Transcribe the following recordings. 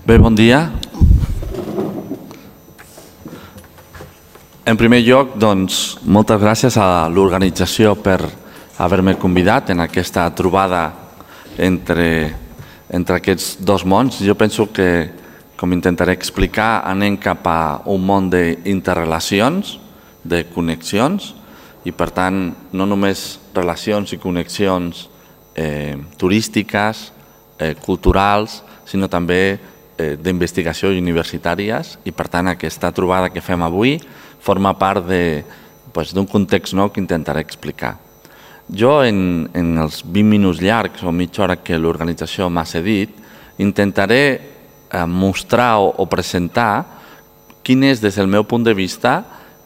Bé, bon dia. En primer lloc, doncs, moltes gràcies a l'organització per haver-me convidat en aquesta trobada entre aquests dos mons. Jo penso que, com intentaré explicar, anem cap a un món d'interrelacions, de connexions, i per tant no només relacions i connexions turístiques, culturals, sinó també d'investigació universitàries, i per tant aquesta trobada que fem avui forma part d'un context nou que intentaré explicar. Jo en els 20 minuts llargs o mitja hora que l'organització m'ha cedit intentaré mostrar o presentar quin és des del meu punt de vista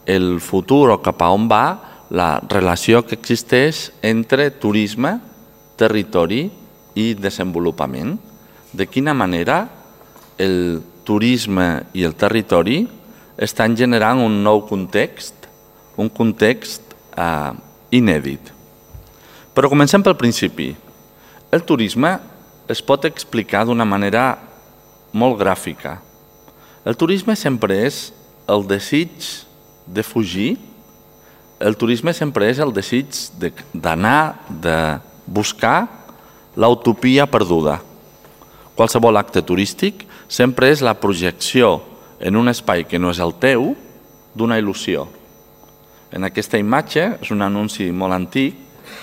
el futur o cap a on va la relació que existeix entre turisme, territori i desenvolupament. De quina manera el turisme i el territori estan generant un nou context, un context inèdit. Però comencem pel principi. El turisme es pot explicar d'una manera molt gràfica. El turisme sempre és el desig de fugir, el turisme sempre és el desig d'anar, de buscar l'utopia perduda. Qualsevol acte turístic sempre és la projecció en un espai que no és el teu d'una il·lusió. En aquesta imatge, és un anunci molt antic,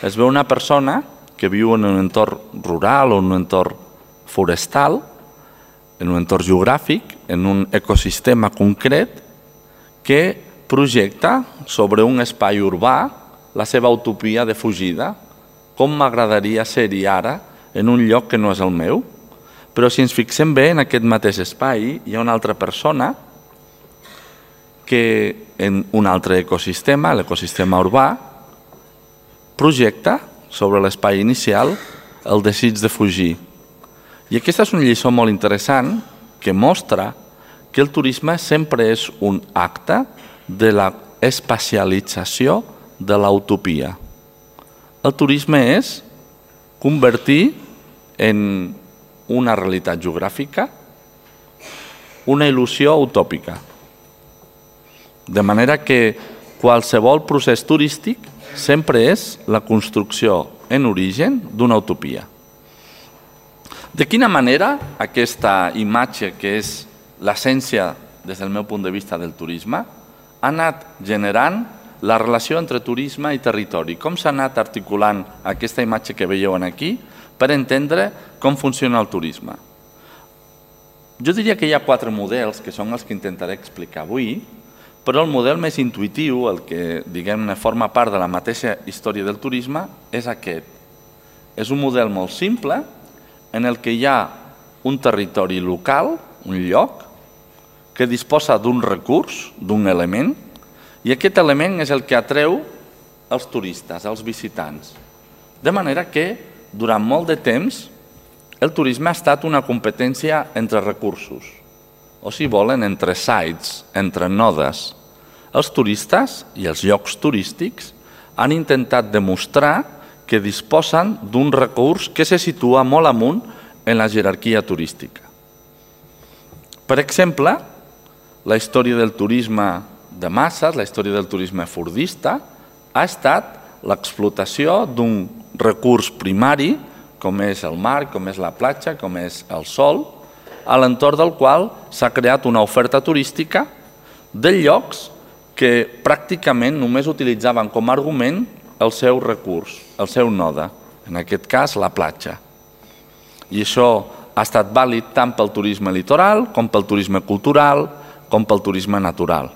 es veu una persona que viu en un entorn rural o en un entorn forestal, en un entorn geogràfic, en un ecosistema concret, que projecta sobre un espai urbà la seva utopia de fugida. Com m'agradaria ser-hi ara en un lloc que no és el meu? Però si ens fixem bé, en aquest mateix espai hi ha una altra persona que en un altre ecosistema, l'ecosistema urbà, projecta sobre l'espai inicial el desig de fugir. I aquesta és una lliçó molt interessant que mostra que el turisme sempre és un acte de l'espacialització de l'utopia. El turisme és convertir en una realitat geogràfica una il·lusió utòpica. De manera que qualsevol procés turístic sempre és la construcció en origen d'una utopia. De quina manera aquesta imatge, que és l'essència des del meu punt de vista del turisme, ha anat generant la relació entre turisme i territori? Com s'ha anat articulant aquesta imatge que veieu aquí per entendre com funciona el turisme? Jo diria que hi ha 4 models que són els que intentaré explicar avui, però el model més intuïtiu, el que diguem-ne forma part de la mateixa història del turisme, és aquest. És un model molt simple en el que hi ha un territori local, un lloc, que disposa d'un recurs, d'un element, i aquest element és el que atreu els turistes, els visitants. De manera que, durant molt de temps, el turisme ha estat una competència entre recursos, o si volen, entre sites, entre nodes. Els turistes i els llocs turístics han intentat demostrar que disposen d'un recurs que se situa molt amunt en la jerarquia turística. Per exemple, la història del turisme de masses, la història del turisme fordista, ha estat l'explotació d'un recurs primari, com és el mar, com és la platja, com és el sol, a l'entorn del qual s'ha creat una oferta turística de llocs que pràcticament només utilitzaven com a argument el seu recurs, el seu node, en aquest cas la platja. I això ha estat vàlid tant pel turisme litoral, com pel turisme cultural, com pel turisme natural.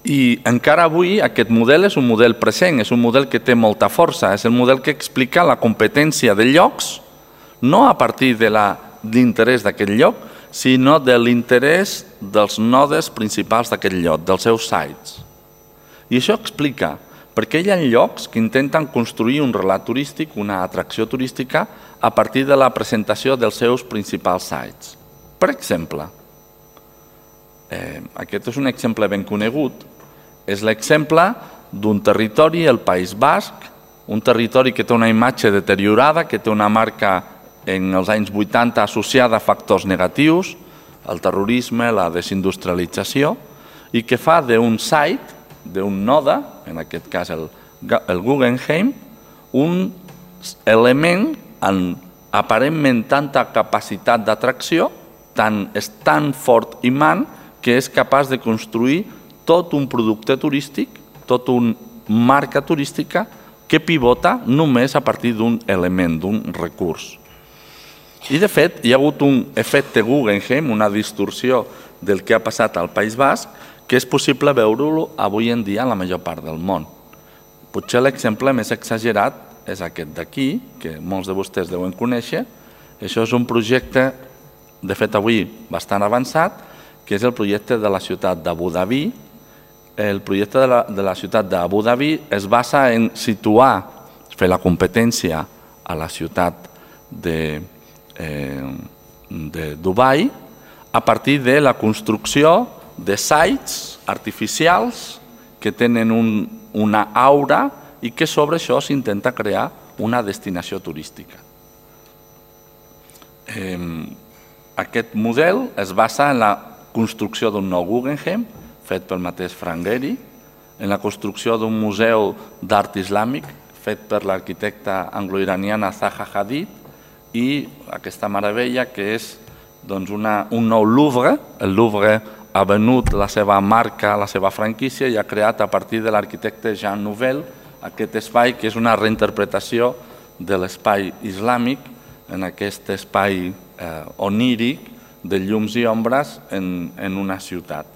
I encara avui aquest model és un model present, és un model que té molta força, és el model que explica la competència de llocs, no a partir de l'interès d'aquest lloc, sinó de l'interès dels nodes principals d'aquest lloc, dels seus sites. I això explica per què hi ha llocs que intenten construir un relat turístic, una atracció turística, a partir de la presentació dels seus principals sites. Per exemple, aquest és un exemple ben conegut, és l'exemple d'un territori, el País Basc, un territori que té una imatge deteriorada, que té una marca en els anys 80 associada a factors negatius, el terrorisme, la desindustrialització, i que fa d'un site, d'un node, en aquest cas el Guggenheim, un element amb aparentment tanta capacitat d'atracció, és tan fort imant que és capaç de construir tot un producte turístic, tota una marca turística que pivota només a partir d'un element, d'un recurs. I de fet hi ha hagut un efecte Guggenheim, una distorsió del que ha passat al País Basc, que és possible veure-lo avui en dia en la major part del món. Potser l'exemple més exagerat és aquest d'aquí, que molts de vostès deuen conèixer. Això és un projecte, de fet avui bastant avançat, que és el projecte de la ciutat d'Abu Dhabi. El projecte de la ciutat d'Abu Dhabi es basa en situar, fer la competència a la ciutat de Dubai a partir de la construcció de sites artificials que tenen una aura i que sobre això s'intenta crear una destinació turística. Aquest model es basa en la construcció d'un nou Guggenheim, fet pel mateix Frank Gehry, en la construcció d'un museu d'art islàmic, fet per l'arquitecta anglo-iraniana Zaha Hadid, i aquesta meravella que és un nou Louvre. El Louvre ha venut la seva marca, la seva franquícia, i ha creat a partir de l'arquitecte Jean Nouvel aquest espai que és una reinterpretació de l'espai islàmic en aquest espai oníric de llums i ombres en una ciutat.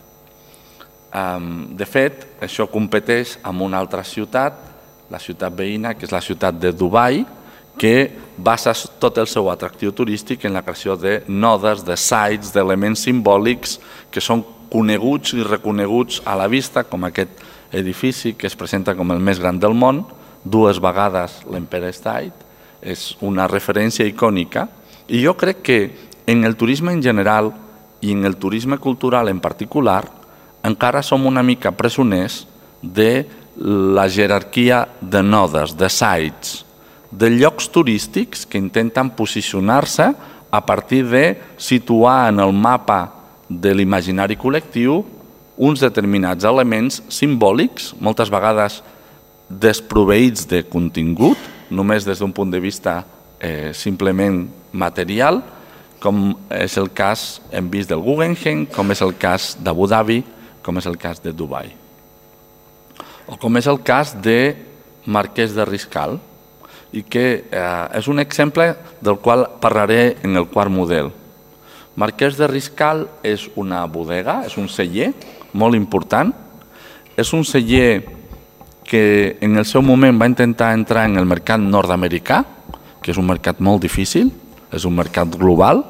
De fet, això competeix amb una altra ciutat, la ciutat veïna, que és la ciutat de Dubai, que basa tot el seu atractiu turístic en la creació de nodes, de sites, d'elements simbòlics que són coneguts i reconeguts a la vista, com aquest edifici que es presenta com el més gran del món, 2 vegades l'Empire State, és una referència icònica. I jo crec que en el turisme en general i en el turisme cultural en particular encara som una mica presoners de la jerarquia de nodes, de sites, de llocs turístics que intenten posicionar-se a partir de situar en el mapa de l'imaginari col·lectiu uns determinats elements simbòlics, moltes vegades desproveïts de contingut, només des d'un punt de vista simplement material, com és el cas, hem vist, del Guggenheim, com és el cas d'Abu Dhabi, com és el cas de Dubai. O com és el cas de Marquès de Riscal, i que és un exemple del qual parlaré en el quart model. Marquès de Riscal és una bodega, és un celler molt important. És un celler que en el seu moment va intentar entrar en el mercat nord-americà, que és un mercat molt difícil, és un mercat global,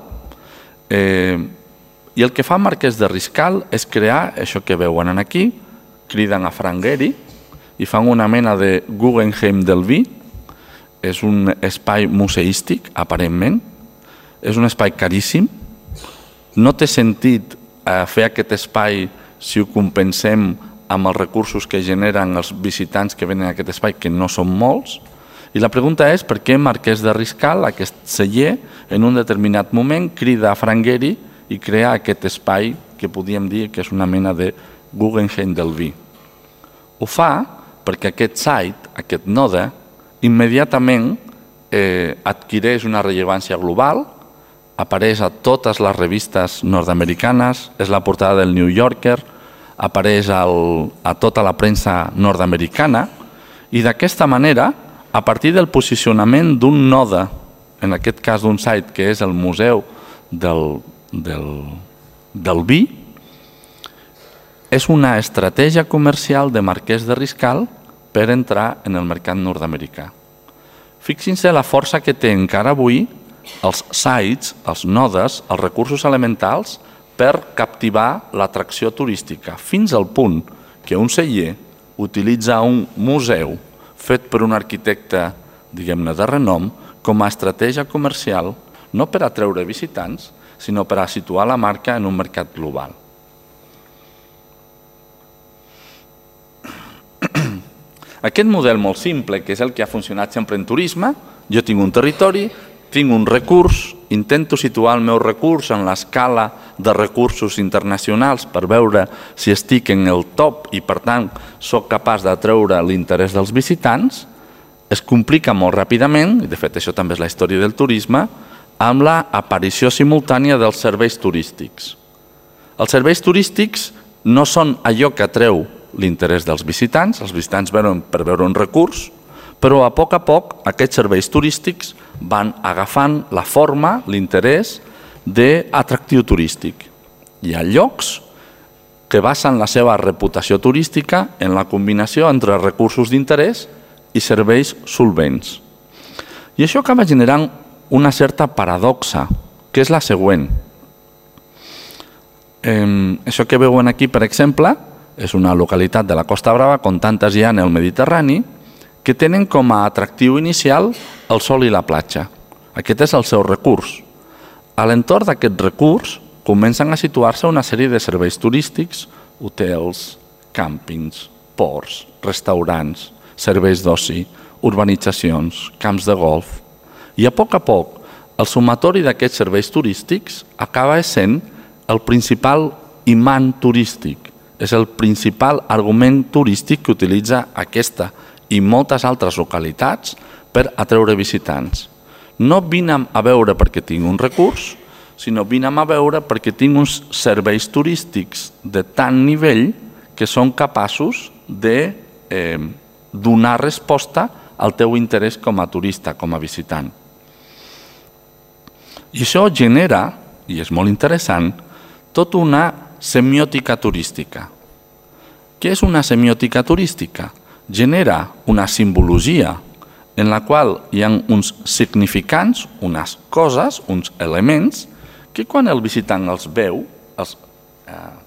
i el que fa Marquès de Riscal és crear això que veuen aquí, criden a Frank Gehry i fan una mena de Guggenheim del vi. És un espai museístic, aparentment, és un espai caríssim, no té sentit fer aquest espai si ho compensem amb els recursos que generen els visitants que venen a aquest espai, que no són molts, i la pregunta és per què Marquès de Riscal, aquest celler, en un determinat moment crida a Frank Gehry i crea aquest espai que podríem dir que és una mena de Guggenheim del vi. Ho fa perquè aquest site, aquest node, immediatament adquireix una rellevància global, apareix a totes les revistes nord-americanes, és la portada del New Yorker, apareix a tota la premsa nord-americana, i d'aquesta manera, a partir del posicionament d'un node, en aquest cas d'un site que és el Museu del Vi, és una estratègia comercial de Marquès de Riscal per entrar en el mercat nord-americà. Fixin-se la força que té encara avui els sites, els nodes, els recursos elementals per captivar l'atracció turística, fins al punt que un celler utilitza un museu fet per un arquitecte, diguem-ne, de renom, com a estratègia comercial, no per atreure visitants, sinó per a situar la marca en un mercat global. Aquest model molt simple, que és el que ha funcionat sempre en turisme, jo tinc un territori, tinc un recurs, intento situar el meu recurs en l'escala de recursos internacionals per veure si estic en el top i, per tant, sóc capaç d'atreure l'interès dels visitants, es complica molt ràpidament, i de fet això també és la història del turisme, amb l'aparició simultània dels serveis turístics. Els serveis turístics no són allò que atreu l'interès dels visitants venen per veure un recurs, però a poc aquests serveis turístics van agafant la forma, l'interès d'atractiu turístic. Hi ha llocs que basen la seva reputació turística en la combinació entre recursos d'interès i serveis solvents. I això acaba generant una certa paradoxa, que és la següent. Això que veuen aquí, per exemple, és una localitat de la Costa Brava, com tantes hi ha en el Mediterrani, que tenen com a atractiu inicial el sol i la platja. Aquest és el seu recurs. A l'entorn d'aquest recurs comencen a situar-se una sèrie de serveis turístics, hotels, càmpings, ports, restaurants, serveis d'oci, urbanitzacions, camps de golf. I a poc, el sumatori d'aquests serveis turístics acaba sent el principal imant turístic. És el principal argument turístic que utilitza aquesta i moltes altres localitats per atreure visitants. No vinem a veure perquè tinc un recurs, sinó vinem a veure perquè tinc uns serveis turístics de tant nivell que són capaços de donar resposta al teu interès com a turista, com a visitant. I això genera, i és molt interessant, tota una semiòtica turística. Què és una semiòtica turística? Genera una simbologia en la qual hi ha uns significants, unes coses, uns elements, que quan el visitant els veu, els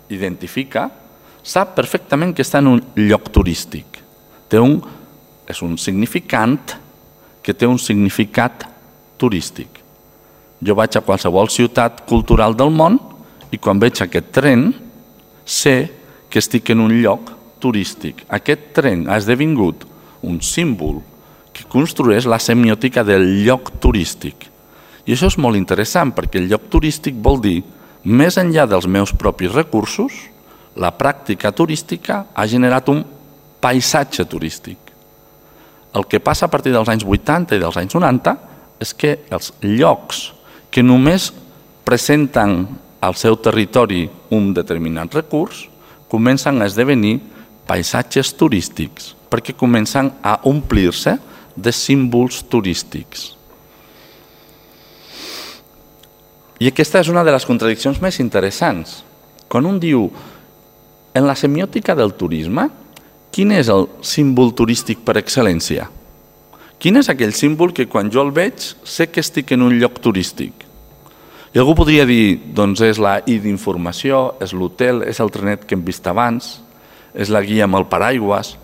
identifica, sap perfectament que està en un lloc turístic. És un significant que té un significat turístic. Jo vaig a qualsevol ciutat cultural del món i quan veig aquest tren sé que estic en un lloc turístic. Aquest tren ha esdevingut un símbol que construeix la semiòtica del lloc turístic. I això és molt interessant perquè el lloc turístic vol dir, més enllà dels meus propis recursos, la pràctica turística ha generat un paisatge turístic. El que passa a partir dels anys 80 i dels anys 90 és que els llocs que només presenten al seu territori un determinat recurs comencen a esdevenir paisatges turístics perquè comencen a omplir-se de símbols turístics. I aquesta és una de les contradiccions més interessants. Quan un diu, en la semiòtica del turisme, quin és el símbol turístic per excel·lència? Quin és aquell símbol que quan jo el veig sé que estic en un lloc turístic? I algú podria dir, doncs és la I d'informació, és l'hotel, és el trenet que hem vist abans, és la guia amb el paraigües,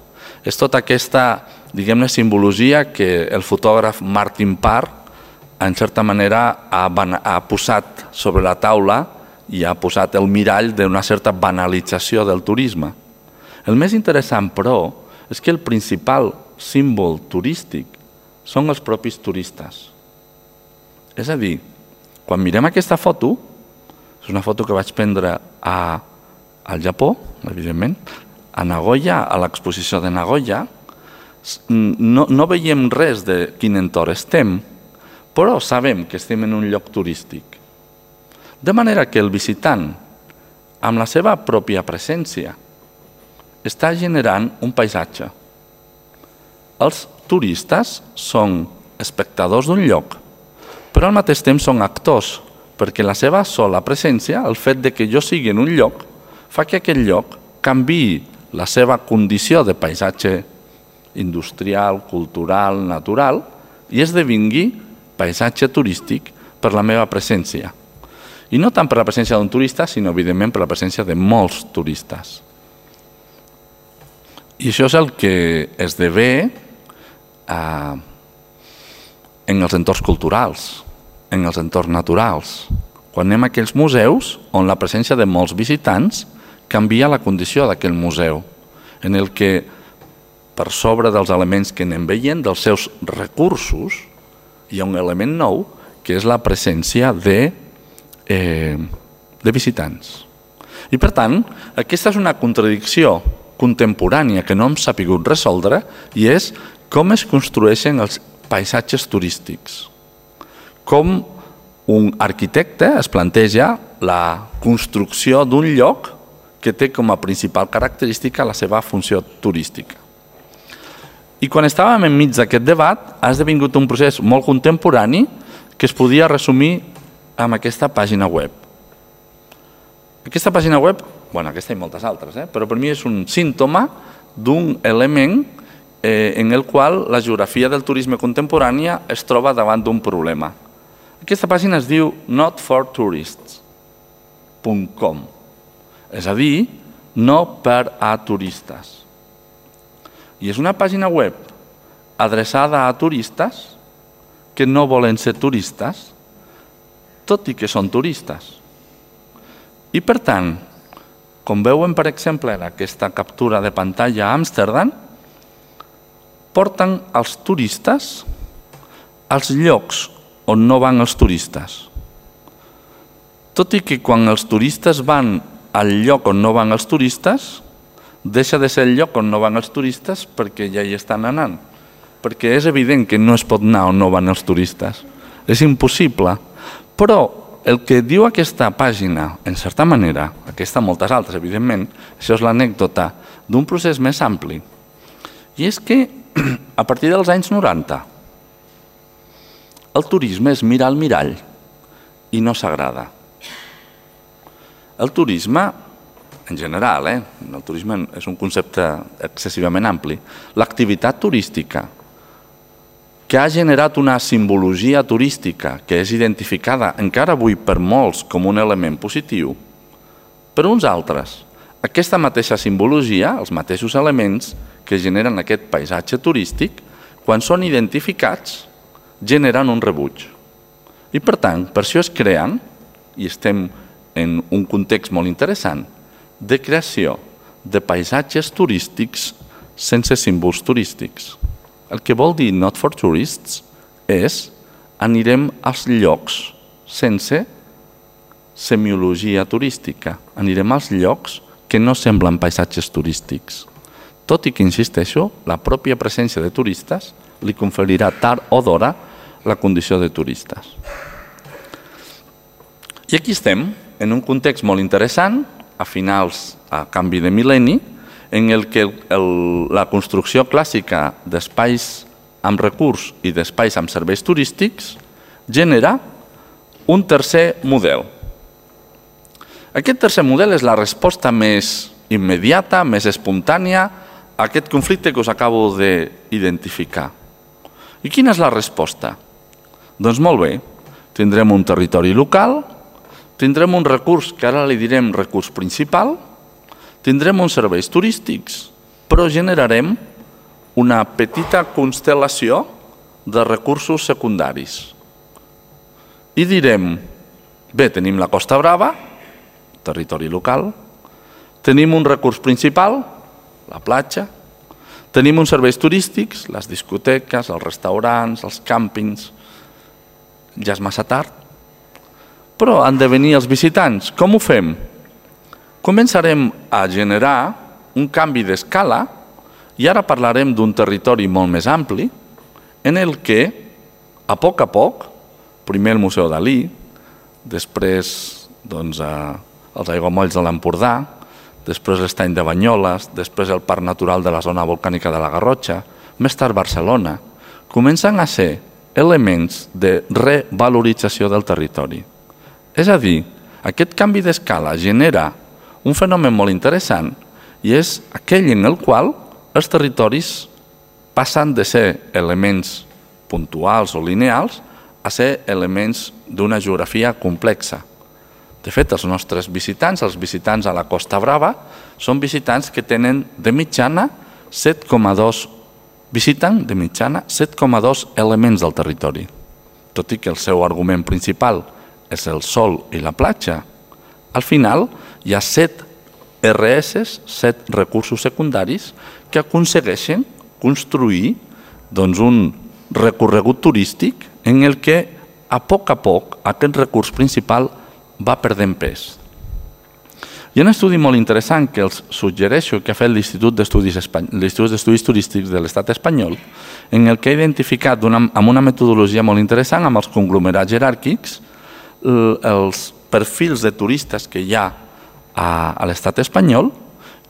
és tota aquesta, diguem-ne, simbologia que el fotògraf Martin Parr, en certa manera, ha posat sobre la taula i ha posat el mirall d'una certa banalització del turisme. El més interessant, però, és que el principal símbol turístic són els propis turistes. És a dir, quan mirem aquesta foto, és una foto que vaig prendre al Japó, evidentment, a Nagoya, a l'exposició de Nagoya, no veiem res de quin entorn estem, però sabem que estem en un lloc turístic. De manera que el visitant, amb la seva pròpia presència, està generant un paisatge. Els turistes són espectadors d'un lloc, però al mateix temps són actors, perquè la seva sola presència, el fet de que jo sigui en un lloc, fa que aquest lloc canviï la seva condició de paisatge industrial, cultural, natural, i esdevingui paisatge turístic per la meva presència. I no tant per la presència d'un turista, sinó evidentment per la presència de molts turistes. I això és el que esdevé en els entorns culturals, en els entorns naturals. Quan anem a aquells museus on la presència de molts visitants canvia la condició d'aquell museu, en el que per sobre dels elements que anem veient, dels seus recursos, hi ha un element nou que és la presència de visitants. I per tant, aquesta és una contradicció contemporània que no hem sabut resoldre i és com es construeixen els paisatges turístics. Com un arquitecte es planteja la construcció d'un lloc que té com a principal característica la seva funció turística. I quan estàvem enmig d'aquest debat ha esdevingut un procés molt contemporani que es podia resumir amb aquesta pàgina web. Aquesta pàgina web, aquesta i moltes altres, però per mi és un símptoma d'un element en el qual la geografia del turisme contemporània es troba davant d'un problema. Aquesta pàgina es diu notfortourists.com, és a dir, no per a turistes. I és una pàgina web adreçada a turistes que no volen ser turistes, tot i que són turistes. I per tant, com veuen per exemple en aquesta captura de pantalla a Amsterdam, porten els turistes als llocs on no van els turistes. Tot i que quan els turistes van al lloc on no van els turistes, deixa de ser el lloc on no van els turistes perquè ja hi estan anant. Perquè és evident que no es pot anar on no van els turistes. És impossible. Però el que diu aquesta pàgina, en certa manera, aquesta moltes altres, evidentment, això és l'anècdota d'un procés més ampli. I és que a partir dels anys 90 el turisme és mirar al mirall i no s'agrada. El turisme, en general, el turisme és un concepte excessivament ampli, l'activitat turística que ha generat una simbologia turística que és identificada encara avui per molts com un element positiu, per uns altres, aquesta mateixa simbologia, els mateixos elements que generen aquest paisatge turístic, quan són identificats, generen un rebuig. I per tant, per això es creen, i estem en un context molt interessant, de creació de paisatges turístics sense símbols turístics. El que vol dir not for tourists és anirem als llocs sense semiologia turística. Anirem als llocs que no semblen paisatges turístics. Tot i que, insisteixo, la pròpia presència de turistes li conferirà tard o d'hora la condició de turistes. I aquí estem, en un context molt interessant, a canvi de mil·lenni, en el que la construcció clàssica d'espais amb recurs i d'espais amb serveis turístics genera un tercer model. Aquest tercer model és la resposta més immediata, més espontània a aquest conflicte que us acabo d'identificar. I quina és la resposta? Doncs molt bé, tindrem un territori local, tindrem un recurs que ara li direm recurs principal, tindrem uns serveis turístics, però generarem una petita constel·lació de recursos secundaris. I direm, bé, tenim la Costa Brava, territori local, tenim un recurs principal, la platja, tenim uns serveis turístics, les discoteques, els restaurants, els càmpings, ja és massa tard, però han de venir els visitants. Com ho fem? Començarem a generar un canvi d'escala i ara parlarem d'un territori molt més ampli en el que, a poc, primer el Museu Dalí, després els aiguamolls de l'Empordà, després l'Estany de Banyoles, després el Parc Natural de la Zona Volcànica de la Garrotxa, més tard Barcelona, comencen a ser elements de revalorització del territori. És a dir, aquest canvi d'escala genera un fenomen molt interessant i és aquell en el qual els territoris passen de ser elements puntuals o lineals a ser elements d'una geografia complexa. De fet, els nostres visitants, els visitants a la Costa Brava, són visitants que tenen de mitjana 7,2 elements del territori. Tot i que el seu argument principal és el sol i la platja, al final hi ha 7 RS, 7 recursos secundaris que aconsegueixen construir un recorregut turístic en el que a poc, aquest recurs principal va perdent pes. Hi ha un estudi molt interessant que els suggereixo que ha fet l'Institut d'Estudis Turístics de l'Estat espanyol, en el que ha identificat amb una metodologia molt interessant, amb els conglomerats jeràrquics, els perfils de turistes que hi ha a l'Estat espanyol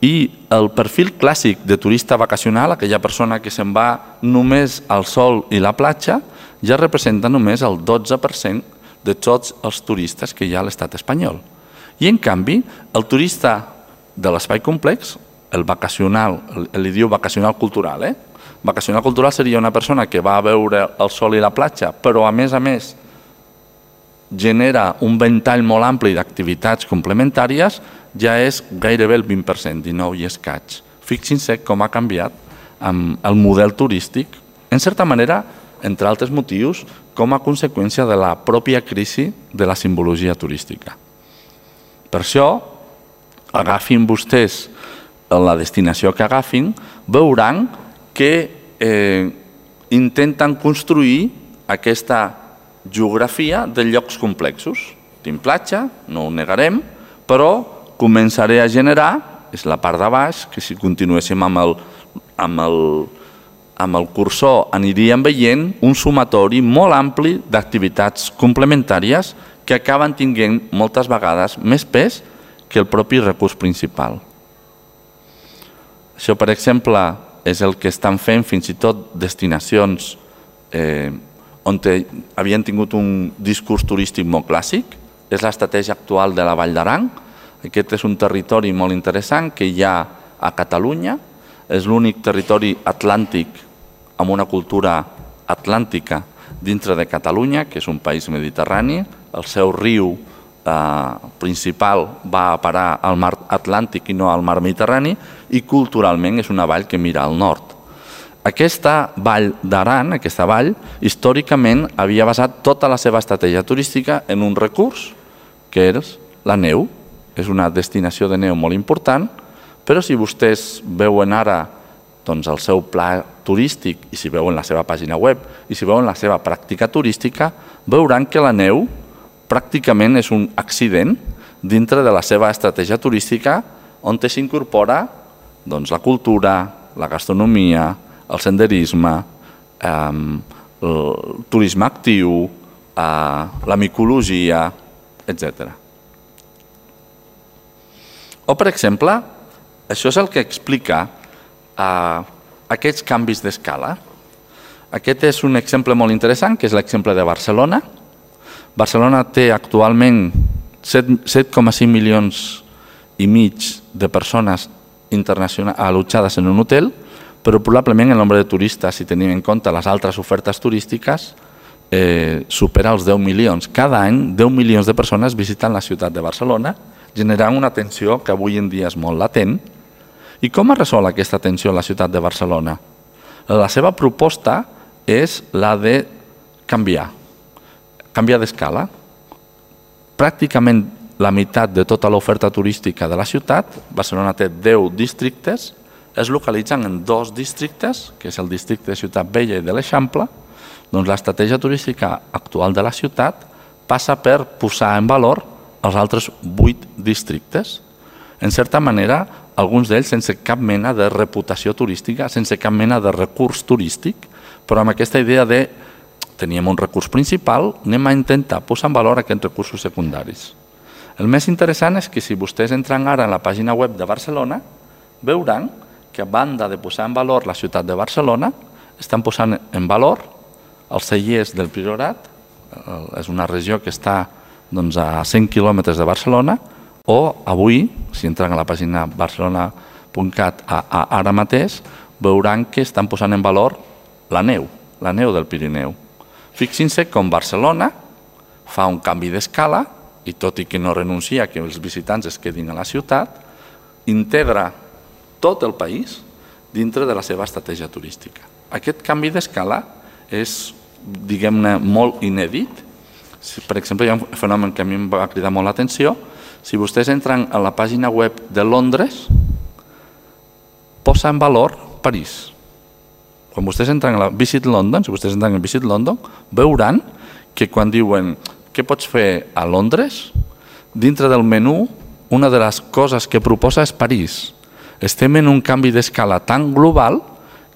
i el perfil clàssic de turista vacacional, aquella persona que se'n va només al sol i la platja, ja representa només el 12% de tots els turistes que hi ha a l'Estat espanyol. I en canvi, el turista de l'espai complex, el vacacional, li diu vacacional cultural, vacacional cultural seria una persona que va a veure el sol i la platja, però a més genera un ventall molt ampli d'activitats complementàries, ja és gairebé el 20%, 19 i escaig. Fixin-se com ha canviat el model turístic, en certa manera, entre altres motius, com a conseqüència de la pròpia crisi de la simbologia turística. Per això, agafin vostès la destinació que agafin, veuran que intenten construir aquesta geografia de llocs complexos. Tinc platja, no ho negarem, però començaré a generar, és la part de baix, que si continuéssim amb el cursor aniríem veient un sumatori molt ampli d'activitats complementàries que acaben tinguent moltes vegades més pes que el propi recurs principal. Això, per exemple, és el que estan fent fins i tot destinacions on havien tingut un discurs turístic molt clàssic. És l'estratègia actual de la Vall d'Aran. Aquest és un territori molt interessant que hi ha a Catalunya. És l'únic territori atlàntic amb una cultura atlàntica dintre de Catalunya, que és un país mediterrani. El seu riu principal va a parar al mar Atlàntic i no al mar Mediterrani, i culturalment és una vall que mira al nord. Aquesta vall d'Aran, aquesta vall, històricament havia basat tota la seva estratègia turística en un recurs, que és la neu. És una destinació de neu molt important, però si vostès veuen ara el seu pla turístic, i si veuen la seva pàgina web, i si veuen la seva pràctica turística, veuran que la neu pràcticament és un accident dintre de la seva estratègia turística, on s'incorpora la cultura, la gastronomia, el senderisme, el turisme actiu, la micologia, etc. O, per exemple, això és el que explica aquests canvis d'escala. Aquest és un exemple molt interessant, que és l'exemple de Barcelona. Barcelona té actualment 7,5 milions i mig de persones allotjades en un hotel, però probablement el nombre de turistes, si tenim en compte les altres ofertes turístiques, supera els 10 milions. Cada any, 10 milions de persones visiten la ciutat de Barcelona, generant una tensió que avui en dia és molt latent. I com es resol aquesta tensió a la ciutat de Barcelona? La seva proposta és la de canviar d'escala. Pràcticament la meitat de tota l'oferta turística de la ciutat, Barcelona té 10 districtes, es localitzen en 2 districtes, que és el districte de Ciutat Vella i de l'Eixample. Doncs l'estratègia turística actual de la ciutat passa per posar en valor els altres 8 districtes. En certa manera, alguns d'ells sense cap mena de reputació turística, sense cap mena de recurs turístic, però amb aquesta idea de teníem un recurs principal, anem a intentar posar en valor aquests recursos secundaris. El més interessant és que si vostès entren ara en la pàgina web de Barcelona, veuran que a banda de posar en valor la ciutat de Barcelona, estan posant en valor els cellers del Priorat, és una regió que està a 100 quilòmetres de Barcelona, o avui, si entren a la pàgina barcelona.cat ara mateix, veuran que estan posant en valor la neu del Pirineu. Fixin-se com Barcelona fa un canvi d'escala, i tot i que no renuncia que els visitants es quedin a la ciutat, integra tot el país dintre de la seva estratègia turística. Aquest canvi d'escala és, diguem-ne, molt inèdit. Per exemple, hi ha un fenomen que a mi em va cridar molt l'atenció. Si vostès entren a la pàgina web de Londres, posa en valor París. Quan vostès entren a Visit London, si vostès entren a Visit London, veuran que quan diuen què pots fer a Londres, dintre del menú, una de les coses que proposa és París. Estem en un canvi d'escala tan global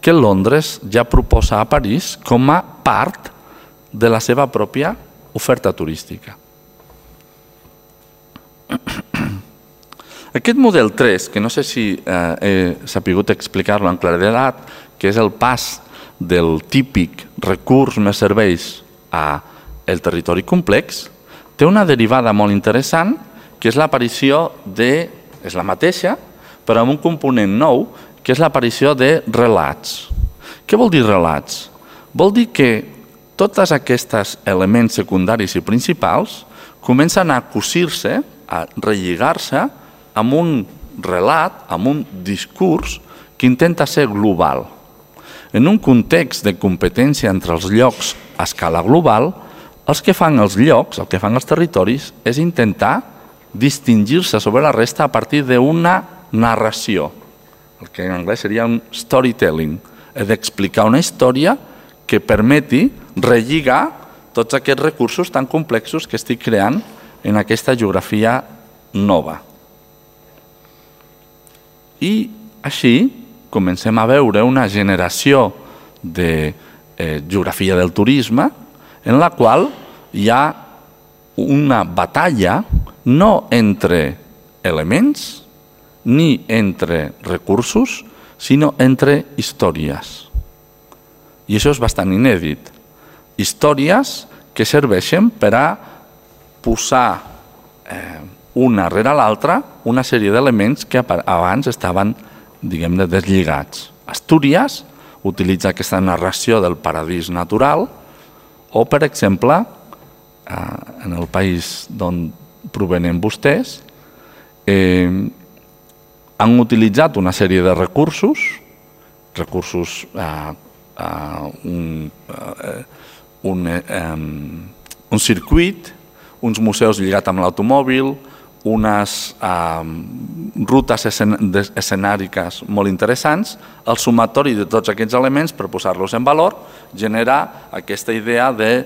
que Londres ja proposa a París com a part de la seva pròpia oferta turística. Aquest model 3, que no sé si he sapigut explicar-lo en claredat, que és el pas del típic recurs més serveis al territori complex, té una derivada molt interessant, que és l'aparició de, és la mateixa, però amb un component nou, que és l'aparició de relats. Què vol dir relats? Vol dir que tots aquests elements secundaris i principals comencen a cosir-se, a relligar-se amb un relat, amb un discurs que intenta ser global. En un context de competència entre els llocs a escala global, els que fan els llocs, el que fan els territoris, és intentar distingir-se sobre la resta a partir d'una narració, el que en anglès seria un storytelling, és d'explicar una història que permeti relligar tots aquests recursos tan complexos que estic creant en aquesta geografia nova. I així comencem a veure una generació de geografia del turisme en la qual hi ha una batalla no entre elements ni entre recursos, sinó entre històries. I això és bastant inèdit. Històries que serveixen per a posar una rere l'altra una sèrie d'elements que abans estaven, diguem-ne, deslligats. Astúries utilitza aquesta narració del paradís natural o, per exemple, en el país d'on provenen vostès, han utilitzat una sèrie de recursos, un circuit, uns museus lligats amb l'automòbil, unes rutes escenàriques molt interessants, el sumatori de tots aquests elements per posar-los en valor genera aquesta idea de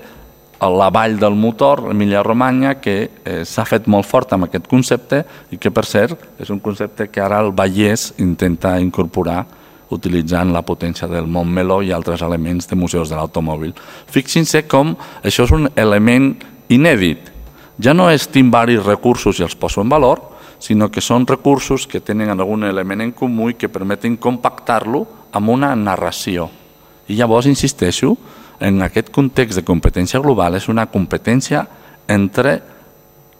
la vall del motor, Emilia-Romanya, que s'ha fet molt fort amb aquest concepte i que, per cert, és un concepte que ara el Vallès intenta incorporar utilitzant la potència del Montmeló i altres elements de museus de l'automòbil. Fixin-se com això és un element inèdit. Ja no és tinc varis recursos i els poso en valor, sinó que són recursos que tenen algun element en comú i que permeten compactar-lo amb una narració. I llavors, insisteixo, en aquest context de competència global és una competència entre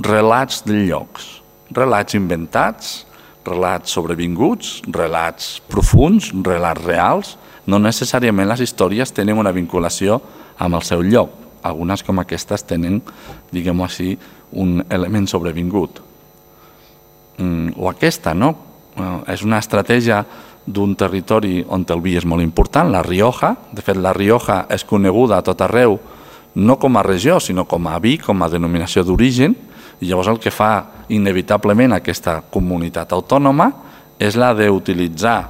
relats de llocs, relats inventats, relats sobrevinguts, relats profuns, relats reals. No necessàriament les històries tenen una vinculació amb el seu lloc. Algunes com aquestes tenen, diguem-ho així, un element sobrevingut. O aquesta, no? És una estratègia d'un territori on el vi és molt important, la Rioja. De fet, la Rioja és coneguda a tot arreu, no com a regió, sinó com a vi, com a denominació d'origen, i llavors el que fa inevitablement aquesta comunitat autònoma és la d'utilitzar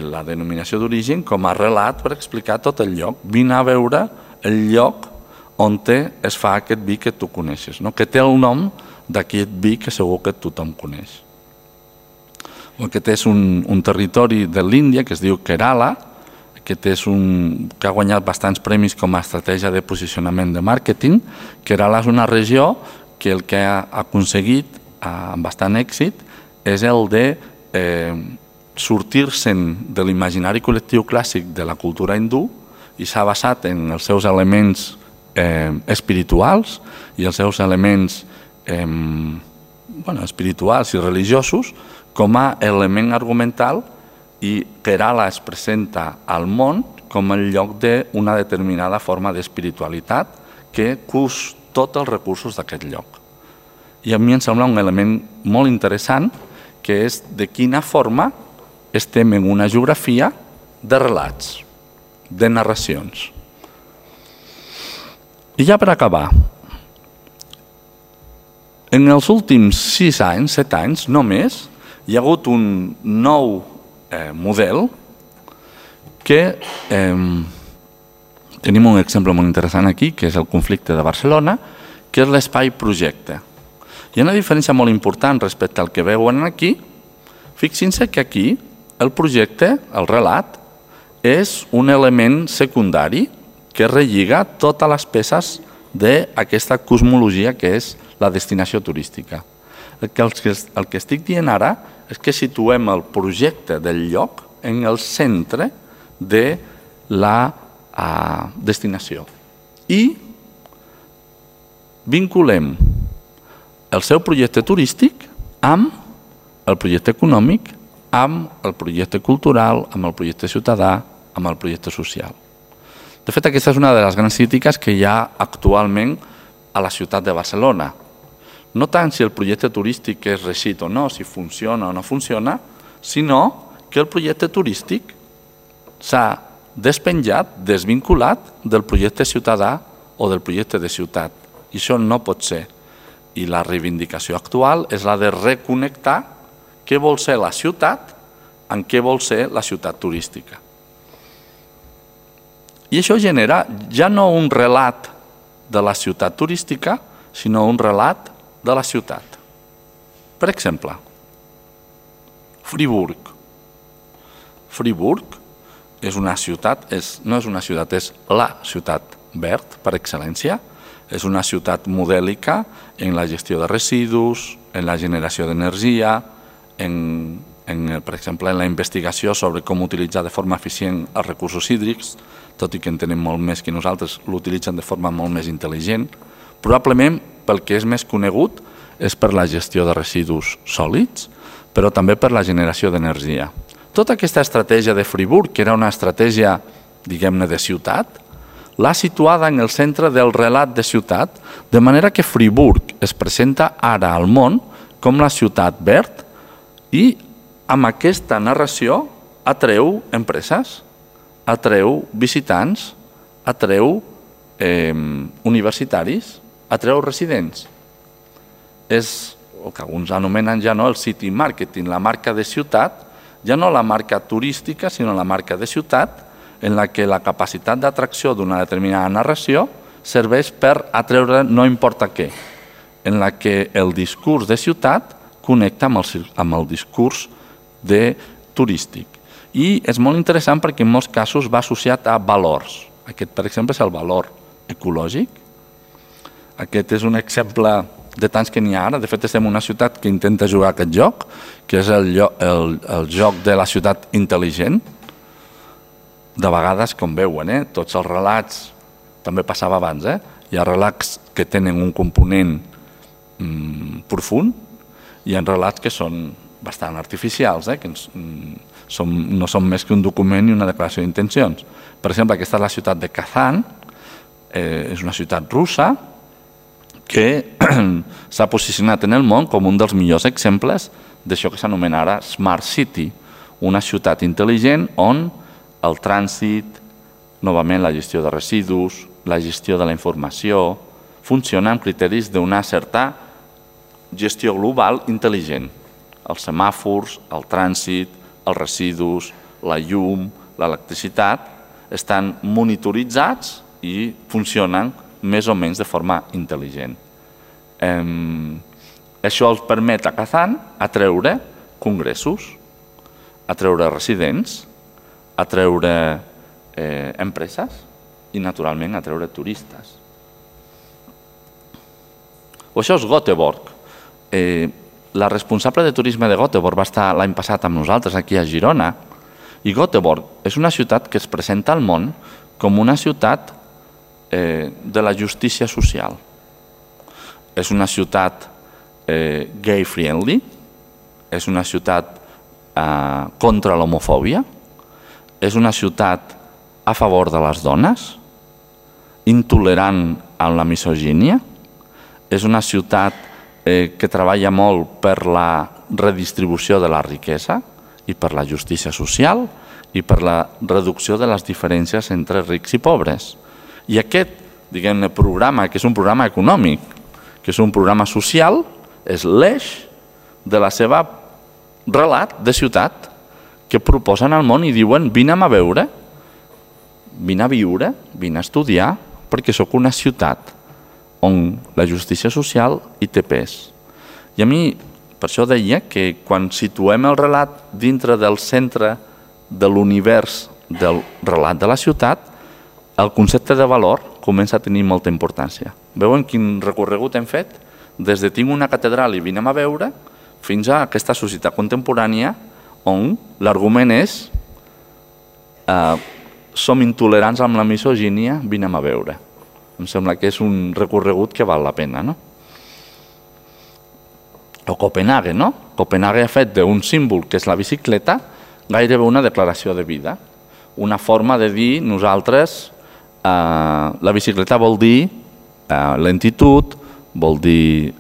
la denominació d'origen com a relat per explicar tot el lloc. Vine a veure el lloc on es fa aquest vi que tu coneixes, que té el nom d'aquest vi que segur que tothom coneix. Aquest és un territori de l'Índia que es diu Kerala, que ha guanyat bastants premis com a estratègia de posicionament de màrqueting. Kerala és una regió que el que ha aconseguit amb bastant èxit és el de sortir-se'n de l'imaginari col·lectiu clàssic de la cultura hindú i s'ha basat en els seus elements espirituals i els seus elements espirituals i religiosos com a element argumental, i Kerala es presenta al món com el lloc d'una determinada forma d'espiritualitat que cus tots els recursos d'aquest lloc. I a mi em sembla un element molt interessant, que és de quina forma estem en una geografia de relats, de narracions. I ja per acabar, en els últims 6 anys, 7 anys, no més, hi ha hagut un nou model que tenim un exemple molt interessant aquí, que és el conflicte de Barcelona, que és l'espai projecte. Hi ha una diferència molt important respecte al que veuen aquí. Fixin-se que aquí el projecte, el relat, és un element secundari que relliga totes les peces d'aquesta cosmologia que és la destinació turística. El que estic dient ara és que situem el projecte del lloc en el centre de la destinació i vinculem el seu projecte turístic amb el projecte econòmic, amb el projecte cultural, amb el projecte ciutadà, amb el projecte social. De fet, aquesta és una de les grans crítiques que hi ha actualment a la ciutat de Barcelona. No tant si el projecte turístic és reeixit o no, si funciona o no funciona, sinó que el projecte turístic s'ha despenjat, desvinculat del projecte ciutadà o del projecte de ciutat. I això no pot ser. I la reivindicació actual és la de reconnectar què vol ser la ciutat amb què vol ser la ciutat turística. I això genera ja no un relat de la ciutat turística, sinó un relat de la ciutat. Per exemple, Friburg. Friburg és una ciutat, no és una ciutat, és la ciutat verd per excel·lència. És una ciutat modèlica en la gestió de residus, en la generació d'energia, per exemple, en la investigació sobre com utilitzar de forma eficient els recursos hídrics, tot i que en tenen molt més que nosaltres, l'utilitzen de forma molt més intel·ligent. Probablement, pel que és més conegut, és per la gestió de residus sòlids, però també per la generació d'energia. Tota aquesta estratègia de Friburg, que era una estratègia, diguem-ne, de ciutat, l'ha situada en el centre del relat de ciutat, de manera que Friburg es presenta ara al món com la ciutat verd i amb aquesta narració atreu empreses, atreu visitants, atreu universitaris, atreu residents. És el que alguns anomenen ja no el city marketing, la marca de ciutat, ja no la marca turística, sinó la marca de ciutat, en la que la capacitat d'atracció d'una determinada narració serveix per atreure no importa què, en la que el discurs de ciutat connecta amb el discurs turístic. I és molt interessant perquè en molts casos va associat a valors. Aquest, per exemple, és el valor ecològic. Aquest és un exemple de tants que n'hi ha ara. De fet, estem en una ciutat que intenta jugar aquest joc, que és el joc de la ciutat intel·ligent. De vegades, com veuen, tots els relats, també passava abans, hi ha relats que tenen un component profund i hi ha relats que són bastant artificials, que no són més que un document i una declaració d'intencions. Per exemple, aquesta és la ciutat de Kazan, és una ciutat russa que s'ha posicionat en el món com un dels millors exemples d'això que s'anomena ara Smart City, una ciutat intel·ligent on el trànsit, novament la gestió de residus, la gestió de la informació, funciona amb criteris d'una certa gestió global intel·ligent. Els semàfors, el trànsit, els residus, la llum, l'electricitat, estan monitoritzats i funcionen més o menys de forma intel·ligent. Això els permet a Kazan atreure congressos, atreure residents, atreure empreses i, naturalment, atreure turistes. Això és Göteborg. La responsable de turisme de Göteborg va estar l'any passat amb nosaltres aquí a Girona i Göteborg és una ciutat que es presenta al món com una ciutat de la justícia social. És una ciutat gay-friendly, és una ciutat contra l'homofòbia, és una ciutat a favor de les dones, intolerant amb la misogínia, és una ciutat que treballa molt per la redistribució de la riquesa i per la justícia social i per la reducció de les diferències entre rics i pobres. I aquest, diguem-ne, programa, que és un programa econòmic, que és un programa social, és l'eix de la seva relat de ciutat que proposen al món i diuen: vine'm a veure, vine a viure, vine a estudiar, perquè sóc una ciutat on la justícia social hi té pes. I a mi, per això deia que quan situem el relat dintre del centre de l'univers del relat de la ciutat, el concepte de valor comença a tenir molta importància. Veuen quin recorregut hem fet? Des de tinc una catedral i vinem a veure, fins a aquesta societat contemporània on l'argument és som intolerants amb la misogínia, vinem a veure. Em sembla que és un recorregut que val la pena, no? O Copenhague, no? Copenhague ha fet d'un símbol, que és la bicicleta, gairebé una declaració de vida. Una forma de dir, nosaltres, la bicicleta vol dir lentitud, vol dir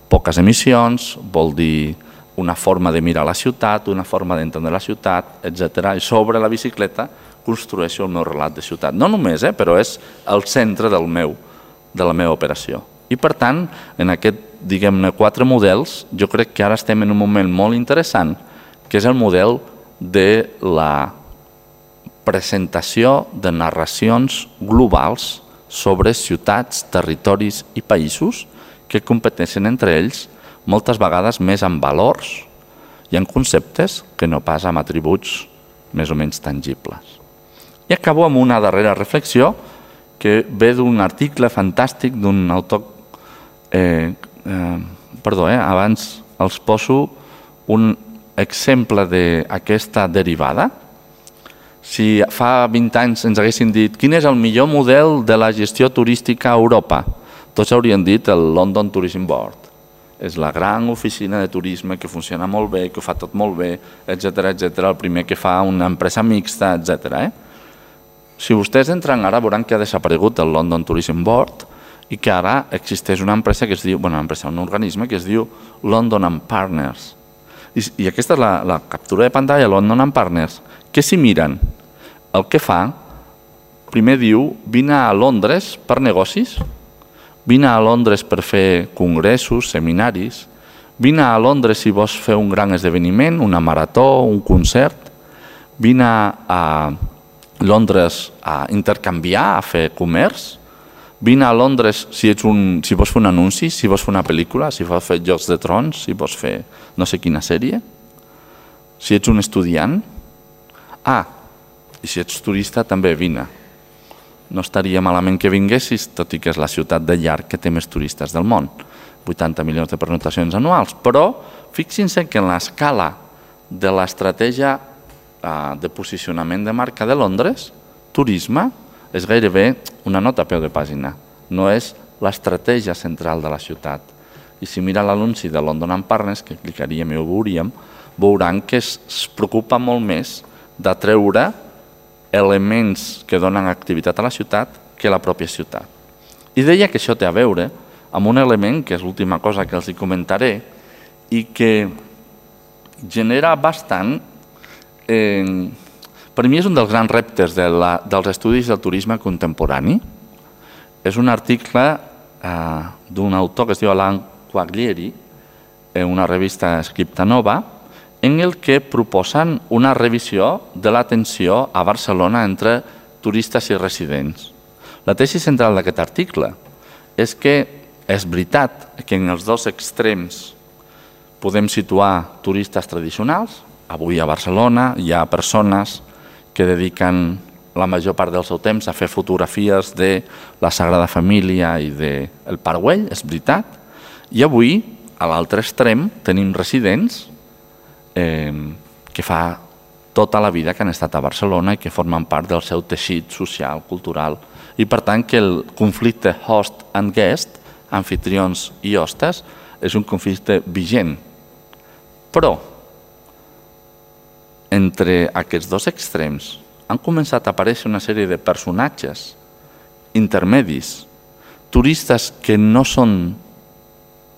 poques emissions, vol dir una forma de mirar la ciutat, una forma d'entendre la ciutat, etc. I sobre la bicicleta construeixo el meu relat de ciutat. No només, però és el centre de la meva operació. I per tant, en aquest, diguem-ne, 4 models, jo crec que ara estem en un moment molt interessant, que és el model de la presentació de narracions globals sobre ciutats, territoris i països que competeixen entre ells moltes vegades més en valors i en conceptes que no pas amb atributs més o menys tangibles. I acabo amb una darrera reflexió que ve d'un article fantàstic d'un autor... abans els poso un exemple d'aquesta derivada. Si fa 20 anys ens haguessin dit quin és el millor model de la gestió turística a Europa, tots haurien dit el London Tourism Board. És la gran oficina de turisme que funciona molt bé, que ho fa tot molt bé, etc. el primer que fa una empresa mixta, etc. Si vostès entren ara veuran que ha desaparegut el London Tourism Board i que ara existeix una empresa que es diu, un organisme que es diu London & Partners. I aquesta és la captura de pantalla, London & Partners, que si miren el que fa, primer diu, vine a Londres per negocis, vine a Londres per fer congressos, seminaris, vine a Londres si vols fer un gran esdeveniment, una marató, un concert, vine a Londres a intercanviar, a fer comerç, vine a Londres si vols fer un anunci, si vols fer una pel·lícula, si vols fer Jocs de Trons, si vols fer no sé quina sèrie, si ets un estudiant, i si ets turista també vine. No estaria malament que vinguessis, tot i que és la ciutat de llarg que té més turistes del món, 80 milions de pernoctacions anuals, però fixin-se que en l'escala de l'estratègia de posicionament de marca de Londres, turisme és gairebé una nota a peu de pàgina, no és l'estratègia central de la ciutat. I si mira l'anunci de London & Partners, que clicaríem i ho veuríem, veuran que es preocupa molt més d'atreure elements que donen activitat a la ciutat que la pròpia ciutat. I deia que això té a veure amb un element, que és l'última cosa que els comentaré, i que genera bastant... Per mi és un dels grans reptes dels estudis del turisme contemporani. És un article d'un autor que es diu Alain Quaglieri, en una revista Scriptanova, en el que proposen una revisió de l'atenció a Barcelona entre turistes i residents. La tesi central d'aquest article és que és veritat que en els dos extrems podem situar turistes tradicionals. Avui a Barcelona hi ha persones que dediquen la major part del seu temps a fer fotografies de la Sagrada Família i del Parc Güell, és veritat. I avui, a l'altre extrem, tenim residents que fa tota la vida que han estat a Barcelona i que formen part del seu teixit social, cultural. I per tant que el conflicte host and guest, anfitrions i hostes, és un conflicte vigent. Però entre aquests dos extrems han començat a aparèixer una sèrie de personatges intermedis, turistes que no són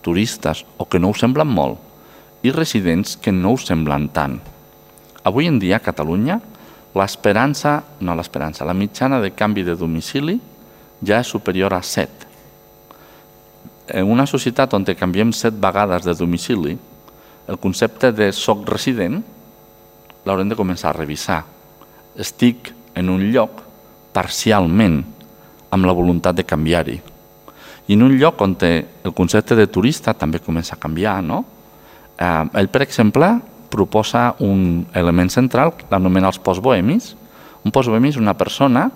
turistes o que no ho semblen molt, i residents que no ho semblen tant. Avui en dia a Catalunya la mitjana de canvi de domicili ja és superior a 7. En una societat on canviem 7 vegades de domicili, el concepte de soc resident l'haurem de començar a revisar. Estic en un lloc parcialment amb la voluntat de canviar-hi. I en un lloc on el concepte de turista també comença a canviar, no? Ell, per exemple, proposa un element central que l'anomena els postbohemis. Un postbohemi és una persona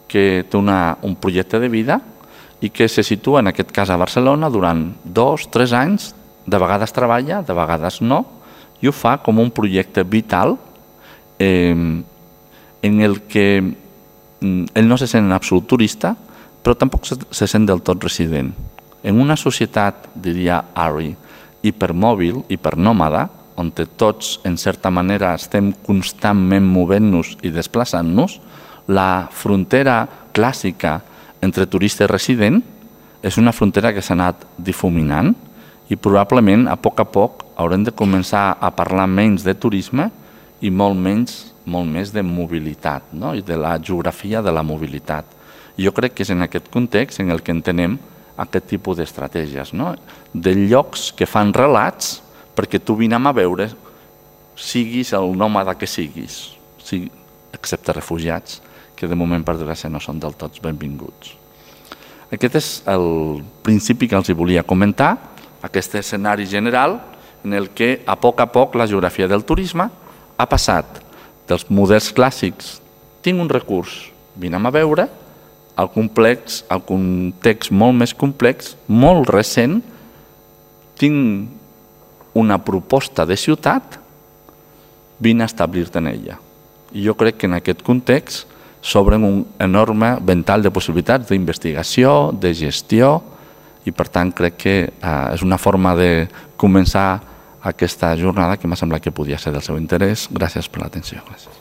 que té un projecte de vida i que se situa, en aquest cas a Barcelona, durant 2-3 anys, de vegades treballa, de vegades no, i ho fa com un projecte vital en el que ell no se sent en absolut turista, però tampoc se sent del tot resident. En una societat, diria Ari, hipermòbil, hipernòmada, on tots, en certa manera, estem constantment movent-nos i desplaçant-nos, la frontera clàssica entre turista i resident és una frontera que s'ha anat difuminant i probablement a poc haurem de començar a parlar menys de turisme i molt més de mobilitat, no? I de la geografia de la mobilitat. Jo crec que és en aquest context en el que entenem aquest tipus d'estratègies, no? De llocs que fan relats perquè tu vinem a veure, siguis el nòmada que siguis, excepte refugiats, que de moment per desgràcia no són del tot benvinguts. Aquest és el principi que els volia comentar, aquest escenari general en el que a poc la geografia del turisme ha passat dels models clàssics, tinc un recurs, vinem a veure, al context molt més complex, molt recent, tinc una proposta de ciutat, vine a establir-te en ella. I jo crec que en aquest context s'obren un enorme ventall de possibilitats d'investigació, de gestió, i per tant crec que és una forma de començar aquesta jornada que m'ha semblat que podia ser del seu interès. Gràcies per l'atenció. Gràcies.